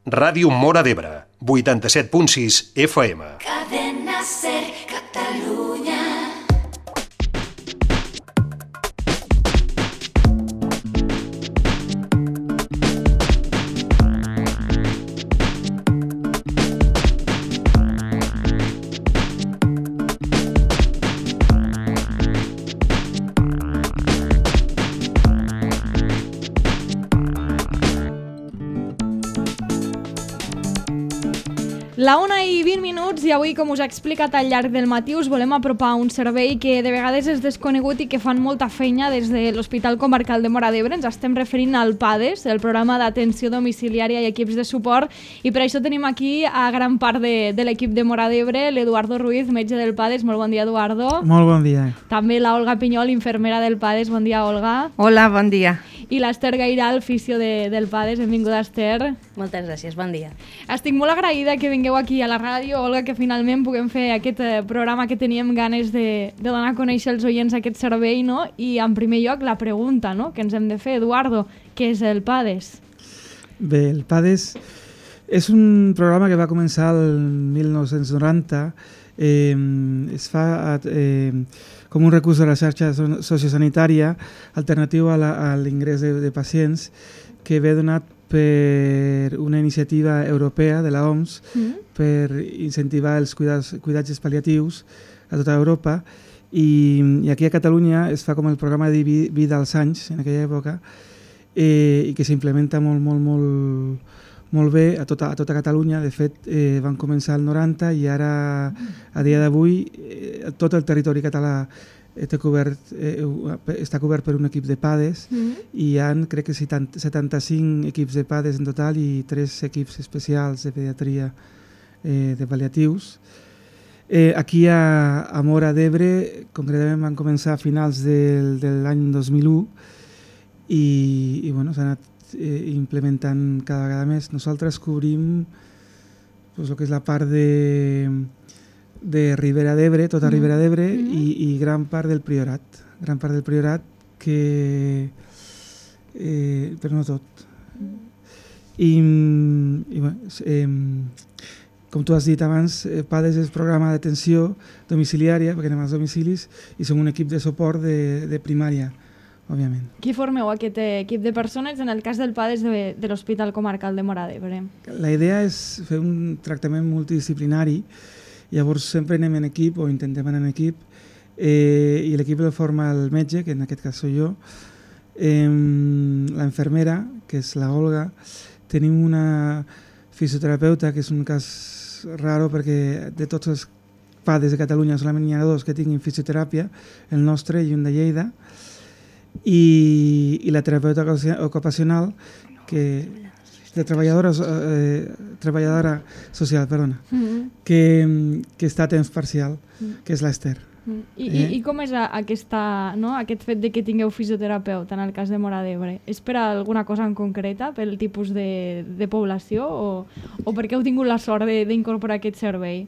Ràdio Móra d'Ebre, 87.6 FM. Cadena Ser Catalunya. La 1:20 i avui, com us he explicat al llarg del matí, us volem apropar un servei que de vegades és desconegut i que fan molta feina des de l'Hospital Comarcal de Móra d'Ebre. Ens estem referint al PADES, el programa d'atenció domiciliària i equips de suport, i per això tenim aquí a gran part de l'equip de Móra d'Ebre, l'Eduardo Ruiz, metge del PADES. Molt bon dia, Eduardo. Molt bon dia. També la Olga Pinyol, infermera del PADES. Bon dia, Olga. Hola, bon dia. I l'Ester Gairal, fisio del PADES. Benvinguda, Ester. Moltes gràcies, bon dia. Estic molt agraïda que vingueu aquí a la ràdio, Olga, que finalment puguem fer aquest programa que teníem ganes de donar a conèixer als oients aquest servei, no? I en primer lloc la pregunta, no?, que ens hem de fer, Eduardo, què és el PADES? Bé, el PADES és un programa que va començar el 1990. Es fa com un recurs de la xarxa sociosanitària alternatiu a l'ingrés de pacients, que ve donat per una iniciativa europea de la OMS per incentivar els cuidatges pal·liatius a tota Europa, i aquí a Catalunya es fa com el programa de vida als anys en aquella època, i que s'implementa molt bé a tota Catalunya. De fet, van començar el 90 i ara, a dia d'avui, tot el territori català està cobert per un equip de PADES, i hi ha, crec que 75 equips de PADES en total i 3 equips especials de pediatria de pal·liatius. Aquí a Móra d'Ebre, concretament, van començar a finals de l'any 2001 i bueno, s'ha anat implementant cada vegada més. Nosaltres cobrim el que és la part de Ribera d'Ebre, tota Ribera d'Ebre, i gran part del Priorat. Gran part del Priorat, però no tot. I bueno, com tu has dit abans, PADES és programa d'atenció domiciliària, perquè anem als domicilis, i som un equip de suport de primària, òbviament. Qui formeu aquest equip de persones en el cas del PADES de l'Hospital Comarcal de Móra d'Ebre? La idea és fer un tractament multidisciplinari. Llavors sempre anem en equip o intentem anar en equip, i l'equip el forma el metge, que en aquest cas soy jo, la infermera, que és la Olga, tenim una fisioterapeuta, que és un cas raro perquè de tots els PADES de Catalunya solament hi ha 2 que tinguin fisioteràpia, el nostre i un de Lleida, i la terapeuta ocupacional, que de treballadora social, perdona, que està a temps parcial, que és l'Ester. I com és aquest fet de que tingueu fisioterapeuta en el cas de Móra d'Ebre? És per alguna cosa en concreta, pel tipus de població, o perquè heu tingut la sort d'incorporar aquest servei?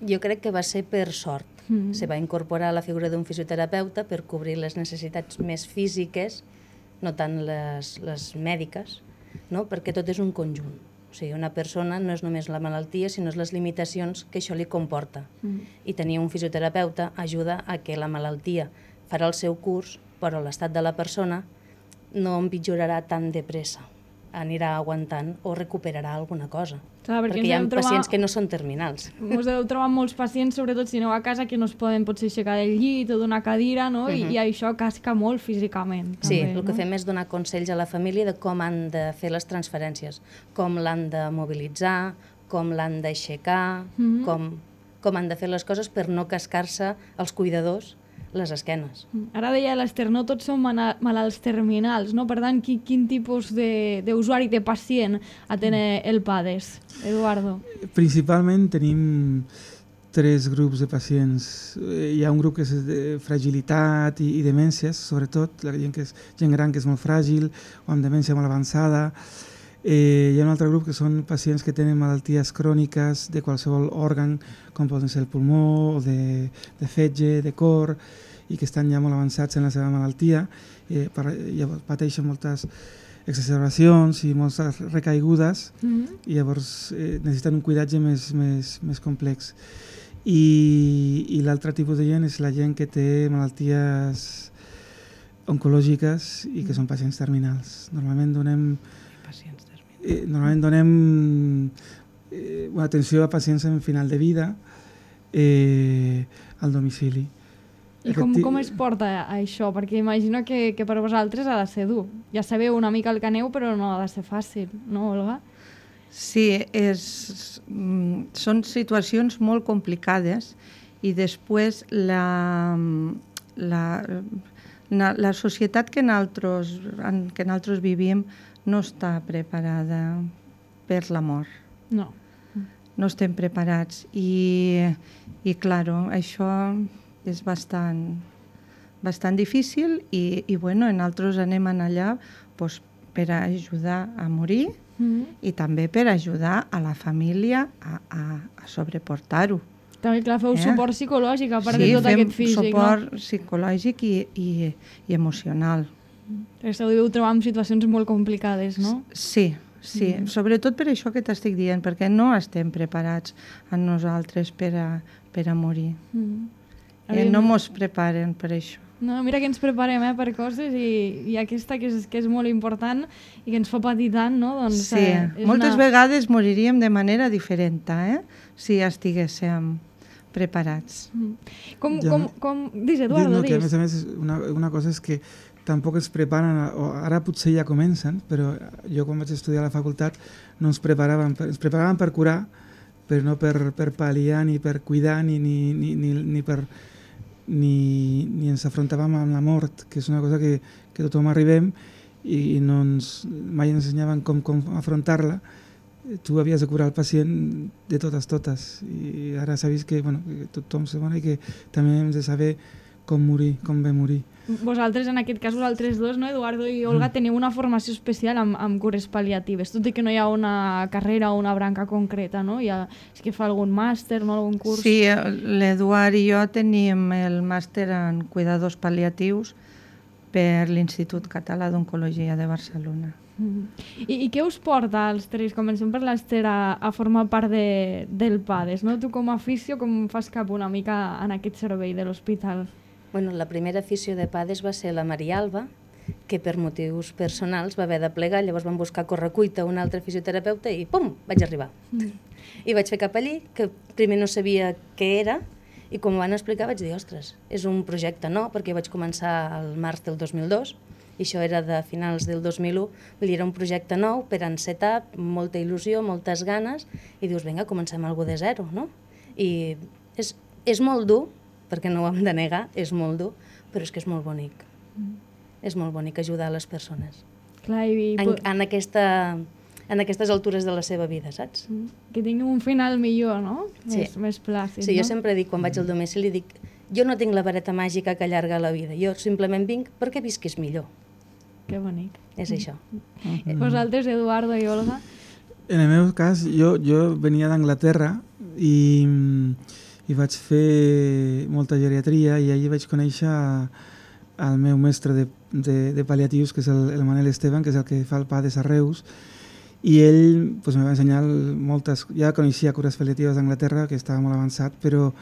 Jo crec que va ser per sort. Se va incorporar la figura d'un fisioterapeuta per cobrir les necessitats més físiques, no tant les mèdiques, no? Perquè tot és un conjunt. O sigui, una persona no és només la malaltia, sinó les limitacions que això li comporta. I tenir un fisioterapeuta ajuda a que la malaltia farà el seu curs, però l'estat de la persona no empitjorarà tan de pressa. Anirà aguantant o recuperarà alguna cosa. Clar, perquè hi ha pacients que no són terminals. Us heu trobat molts pacients, sobretot si aneu a casa, que no es poden potser aixecar del llit o d'una cadira, no? I això casca molt físicament. Sí, també, el que fem és donar consells a la família de com han de fer les transferències, com l'han de mobilitzar, com l'han d'aixecar, com han de fer les coses per no cascar-se els cuidadors les esquenes. Ara deia l'Ester, no tots són malalts terminals, no? Per tant, quin tipus d'usuari, de pacient atén el PADES, Eduardo? Principalment tenim 3 grups de pacients. Hi ha un grup que és de fragilitat i demències, sobretot, la gent gran que és molt fràgil o amb demència molt avançada. Hi ha un altre grup que són pacients que tenen malalties cròniques de qualsevol òrgan, com poden ser el pulmó, o de fetge, de cor, i que estan ja molt avançats en la seva malaltia, pateixen moltes exacerbacions i moltes recaigudes, i llavors necessiten un cuidatge més complex. I l'altre tipus de gent és la gent que té malalties oncològiques i que són pacients terminals. Normalment donem atenció a pacients en final de vida al domicili. I com es porta això? Perquè imagino que per vosaltres ha de ser dur. Ja sabeu una mica el que aneu, però no ha de ser fàcil, no, Olga? Sí, són situacions molt complicades i després la societat que nosaltres vivim no està preparada per la mort. No. No estem preparats i claro, això és bastant difícil i bueno, nosaltres anem allà pues, per ajudar a morir i també per ajudar a la família a sobreportar-ho. També, clar, feu suport psicològic, a part de tot aquest físic, Sí, fem suport psicològic i emocional. Esteu deveu trobar en situacions molt complicades, no? Sí, sobretot per això que t'estic dient, perquè no estem preparats a nosaltres per a morir. No mos preparen per això. No, mira que ens preparem per coses i aquesta que és molt important i que ens fa patir tant, no? Doncs, sí, moltes vegades moriríem de manera diferent, si estiguéssim preparats. Dis, Eduardo, dis. Que a més, una cosa és que tampoc ens preparen, ara potser ja comencen, però jo quan vaig estudiar a la facultat no ens preparaven per curar, però no per pal·liar ni per cuidar ni ens afrontàvem amb la mort, que és una cosa que tothom arribem i mai ens ensenyaven com afrontar-la. Tu havies de curar el pacient de totes, i ara s'ha vist que tothom se mor i que també hem de saber com morir, com bé morir. Vosaltres, en aquest cas, vosaltres dos, no, Eduardo i Olga, teniu una formació especial amb cures pal·liatives, tot i que no hi ha una carrera o una branca concreta, no? És que fa algun màster, no? Algun curs? Sí, l'Eduard i jo tenim el màster en cuidadors pal·liatius per l'Institut Català d'Oncologia de Barcelona. I què us porta als tres? Comencem per l'Ester a formar part del PADES, no? Tu com a afició, com fas cap una mica en aquest servei de l'hospital? Bueno, la primera afició de PADES va ser la Maria Alba, que per motius personals va haver de plegar, llavors van buscar a correcuita un altre fisioterapeuta i pum, vaig arribar. I vaig fer cap allí, que primer no sabia què era, i quan m'ho van explicar vaig dir, ostres, és un projecte nou, perquè vaig començar al març del 2002, i això era de finals del 2001, vull dir, era un projecte nou per encetar, molta il·lusió, moltes ganes, i dius, vinga, comencem alguna de zero, no? I és molt dur, perquè no ho hem de negar, és molt dur, però és que és molt bonic. És molt bonic ajudar les persones. Clar, en aquestes altures de la seva vida, saps? Que tinguin un final millor, no? Sí. Més plàcid, sí, no? Jo sempre dic, quan vaig al domicili, dic, jo no tinc la vareta màgica que allarga la vida, jo simplement vinc perquè visquis millor. Que bonic. És això. Vosaltres, Eduardo i Olga? En el meu cas, jo venia d'Anglaterra i vaig fer molta geriatria i allí vaig conèixer el meu mestre de pal·liatius, que és el Manel Esteban, que és el que fa el PADES a Reus, i ell me va ensenyar moltes... Ja coneixia cures pal·liatives d'Anglaterra, que estava molt avançat, però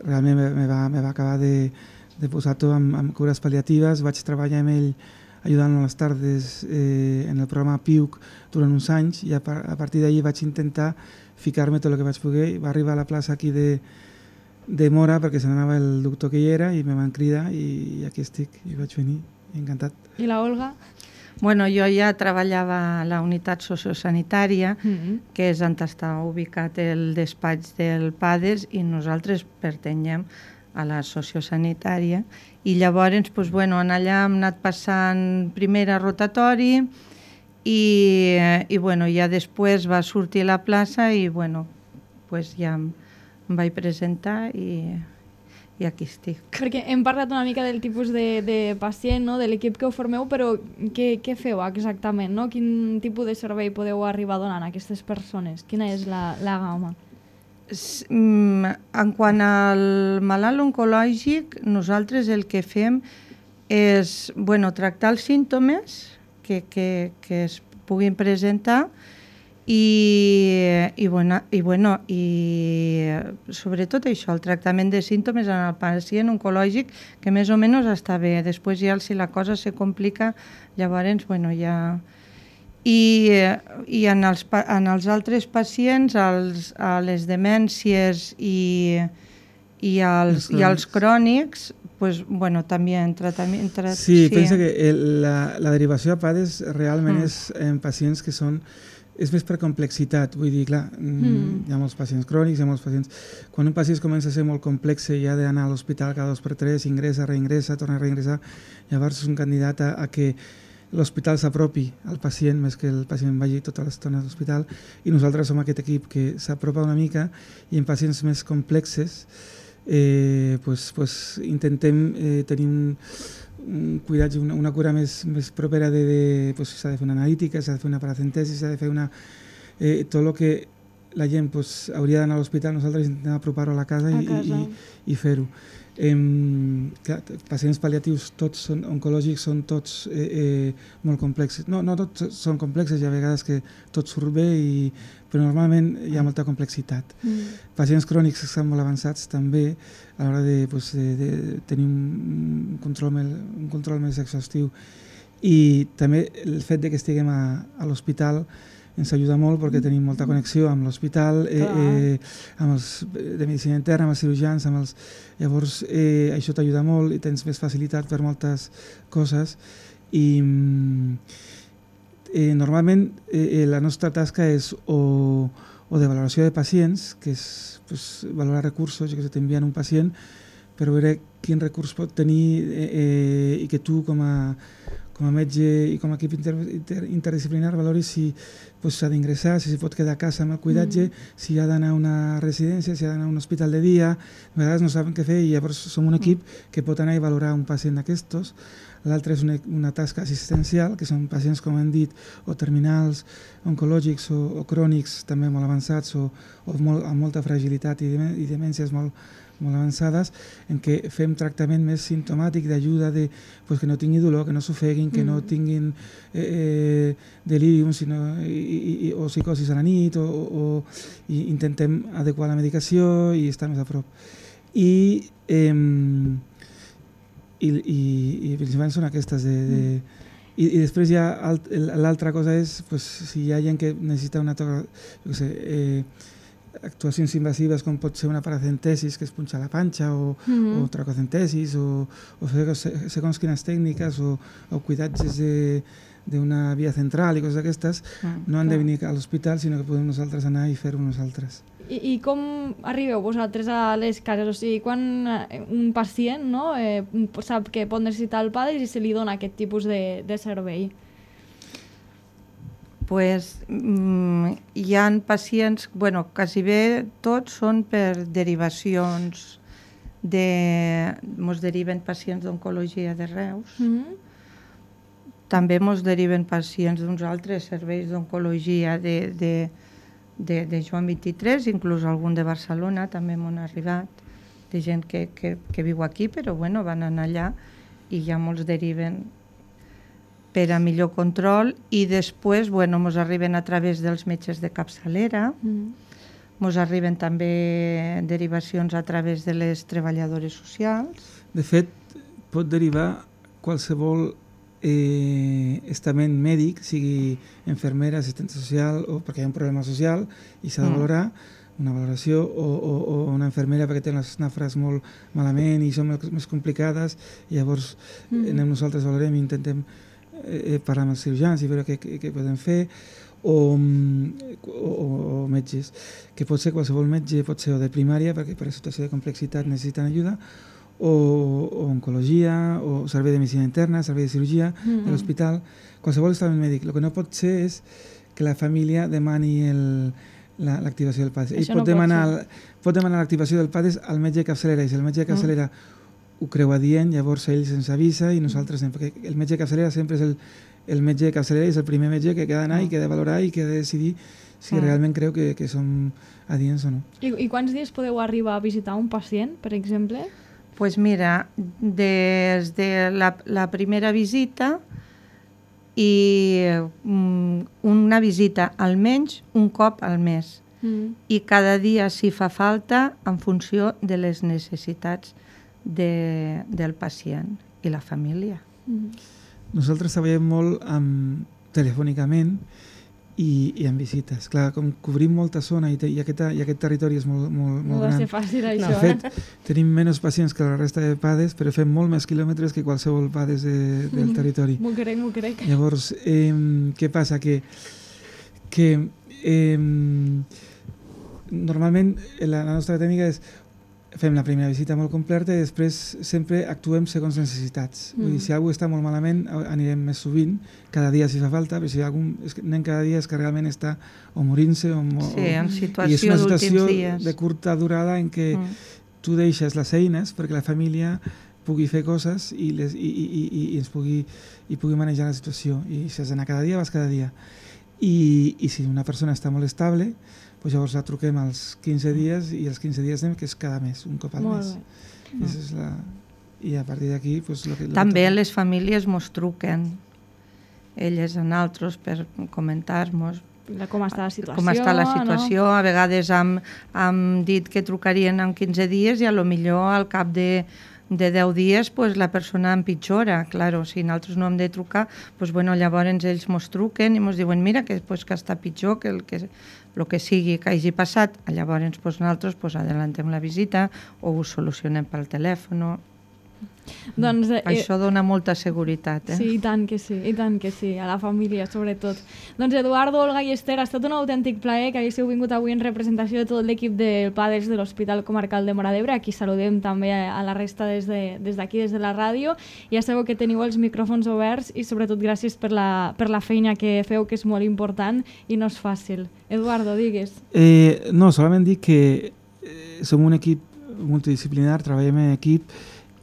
realment me va acabar de posar tot amb cures pal·liatives. Vaig treballar amb ell ajudant a les tardes en el programa PIUC durant uns anys i a partir d'allí vaig intentar ficar-me tot el que vaig poder. Va arribar a la plaça aquí de Mora perquè se n'anava el doctor que hi era i me van cridar i aquí estic i vaig venir, encantat. I la Olga? Bueno, jo ja treballava a la unitat sociosanitària, que és on està ubicat el despatx del PADES, i nosaltres pertanyem a la sociosanitària. I llavors, allà hem anat passant primer a rotatori i ja després va sortir la plaça i ja em vaig presentar i aquí estic. Perquè hem parlat una mica del tipus de pacient, no? De l'equip que ho formeu, però què feu exactament? No? Quin tipus de servei podeu arribar donant a aquestes persones? Quina és la gamma? En quant al malalt oncològic, nosaltres el que fem és tractar els símptomes que es puguin presentar i sobretot això, el tractament de símptomes en el pacient oncològic, que més o menys està bé. Després ja, si la cosa se complica, llavors, ja... I en els altres pacients, a les demències i als crònics, pues, també en tractament... Sí, pensa que la derivació a PADES realment és en pacients que és més per complexitat, vull dir, clar, hi ha molts pacients crònics, hi ha molts pacients... Quan un pacient comença a ser molt complex i ha d'anar a l'hospital cada 2x3, ingressa, reingressa, torna a reingressar, llavors és un candidat a que l'hospital s'apropi al pacient més que el pacient vagi tota l'estona a l'hospital, i nosaltres som aquest equip que s'apropa una mica, i en pacients més complexes intentem tenir un cuidatge, una cura més propera s'ha de fer una analítica, s'ha de fer una paracentesi, s'ha de fer tot el que la gent hauria d'anar a l'hospital, nosaltres intentem apropar-ho a la casa i fer-ho. Pacients pal·liatius tots oncològics són tots molt complexes. No tots són complexes, hi ha vegades que tot surt bé, però normalment hi ha molta complexitat. Pacients crònics que estan molt avançats també, a l'hora de tenir un control més exhaustiu. I també el fet que estiguem a l'hospital ens ajuda molt perquè tenim molta connexió amb l'hospital, amb els de medicina interna, amb els cirurgians, llavors això t'ajuda molt i tens més facilitat per moltes coses. I normalment la nostra tasca és o de valoració de pacients, que és valorar recursos, que t'envien un pacient per veure quin recurs pot tenir i que tu com a metge i com a equip interdisciplinar valori si s'ha d'ingressar, si pot quedar a casa amb el cuidatge, si ha d'anar a una residència, si ha d'anar a un hospital de dia. A vegades no saben què fer i llavors som un equip que pot anar i valorar un pacient d'aquestos. L'altre és una tasca assistencial, que són pacients, com hem dit, o terminals, oncològics o crònics, també molt avançats o amb molta fragilitat i demències molt avançades, en què fem tractament més simptomàtic d'ajuda que no tingui dolor, que no s'ofeguin, que no tinguin delirium o psicosis a la nit, i intentem adequar la medicació i estar més a prop. I principalment són aquestes i després ja l'altra cosa és si hi ha gent que necessita una actuacions invasives, com pot ser una paracentesis, que es punxa la panxa, o tracocentesis, o fer segons quines tècniques, o cuidatges d'una via central i coses d'aquestes, no han de venir a l'hospital, sinó que podem nosaltres anar i fer-ho nosaltres. I com arribeu vosaltres a les cases? O sigui, quan un pacient sap que pot necessitar el PADES i se li dona aquest tipus de servei? Hi ha pacients, quasi bé tots són per derivacions, mos deriven pacients d'oncologia de Reus, també mos deriven pacients d'uns altres serveis d'oncologia de Joan 23, inclús algun de Barcelona també m'han arribat, de gent que viu aquí, però van anar allà i ja molts deriven per a millor control, i després mos arriben a través dels metges de capçalera, mos arriben també derivacions a través de les treballadores socials. De fet, pot derivar qualsevol estament mèdic, sigui infermera, assistent social, o perquè hi ha un problema social i s'ha de valorar, una valoració, o una infermera perquè té les nafres molt malament i són més complicades, i llavors nosaltres valorem i intentem parlar amb els cirurgians i veure què podem fer, o metges, que pot ser qualsevol metge, pot ser o de primària, perquè per situació de complexitat necessiten ajuda, o oncologia, o servei de medicina interna, servei de cirurgia de l'hospital, qualsevol estament mèdic. El que no pot ser és que la família demani l'activació del PADES. Ell pot demanar l'activació del PADES al metge de capçalera, i si el metge de capçalera ho creu adient, llavors ell se'ns avisa i nosaltres anem, perquè el metge de capçalera sempre és el metge de capçalera i és el primer metge que ha d'anar i que ha de valorar i que ha de decidir si realment creu que som adients o no. I quants dies podeu arribar a visitar un pacient, per exemple? Doncs mira, des de la primera visita i una visita almenys un cop al mes. I cada dia si fa falta en funció de les necessitats del pacient i la família. Nosaltres treballem molt telefònicament i en visites. Clar, com cobrim molta zona i aquest territori és molt No va gran. ser fàcil, això. De fet, tenim menys pacients que la resta de PADES, però fem molt més quilòmetres que qualsevol PADES del territori. M'ho crec. Llavors, què passa? Que normalment la nostra tècnica és fem la primera visita molt completa i després sempre actuem segons necessitats. Vull dir, si algú està molt malament anirem més sovint, cada dia si fa falta, però si anem cada dia és que realment està o morint-se en situació i és una situació d'últims dies. de curta durada en què tu deixes les eines perquè la família pugui fer coses i pugui manejar la situació. I si has d'anar cada dia, vas cada dia. I si una persona està molt estable, pues llavors la truquem als 15 dies i els 15 dies anem, que és cada mes, un cop al mes. I a partir d'aquí... Pues, també les famílies mos truquen, elles a nosaltres, per comentar-nos com està la situació. Com està la situació. No? A vegades hem dit que trucarien en 15 dies i a lo millor al cap de 10 dies pues, la persona empitjora. Claro, si nosaltres no hem de trucar, pues, bueno, llavors ells mos truquen i mos diuen mira que està pitjor que el que sigui que hagi passat. Llavors pues, nosaltres pues, adelantem la visita o ho solucionem pel telèfon. Doncs, això dona molta seguretat. Sí, i tant que sí, a la família sobretot. Doncs Eduardo, Olga i Esther, ha estat un autèntic plaer que haguéssiu vingut avui en representació de tot l'equip del PADES de l'Hospital Comarcal de Móra d'Ebre. Aquí saludem també a la resta des d'aquí, des de la ràdio. Ja sabeu que teniu els micròfons oberts i sobretot gràcies per la feina que feu, que és molt important i no és fàcil. Eduardo, digues. No, solament dic que som un equip multidisciplinar, treballem en equip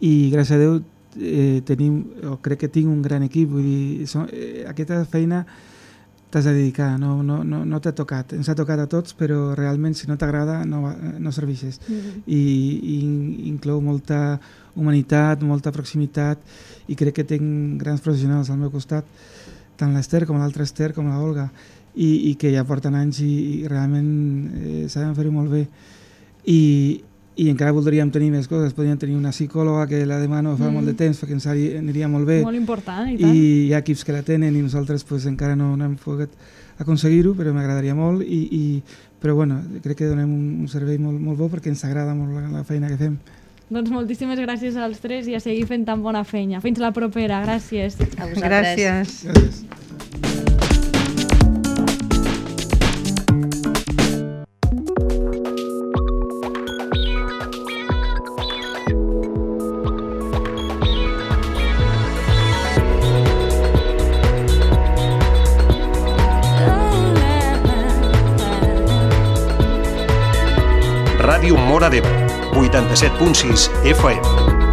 i gràcies a Déu crec que tinc un gran equip, vull dir, aquesta feina t'has de dedicar, no t'ha tocat, ens ha tocat a tots, però realment si no t'agrada no serveixes. I inclou molta humanitat, molta proximitat i crec que tinc grans professionals al meu costat, tant l'Esther com l'altra Esther com l'Olga, i que ja porten anys i realment saben fer-ho molt bé. I encara voldríem tenir més coses, podríem tenir una psicòloga que la demano fa molt de temps perquè ens aniria molt bé. Molt important, i tant. I hi ha equips que la tenen i nosaltres pues, encara no hem pogut aconseguir-ho, però m'agradaria molt. Però bueno, crec que donem un servei molt bo perquè ens agrada molt la feina que fem. Doncs moltíssimes gràcies als tres i a seguir fent tan bona feina. Fins la propera, gràcies. A vosaltres. Gràcies. Gràcies. Ràdio Móra d'Ebre, 87.6 FM.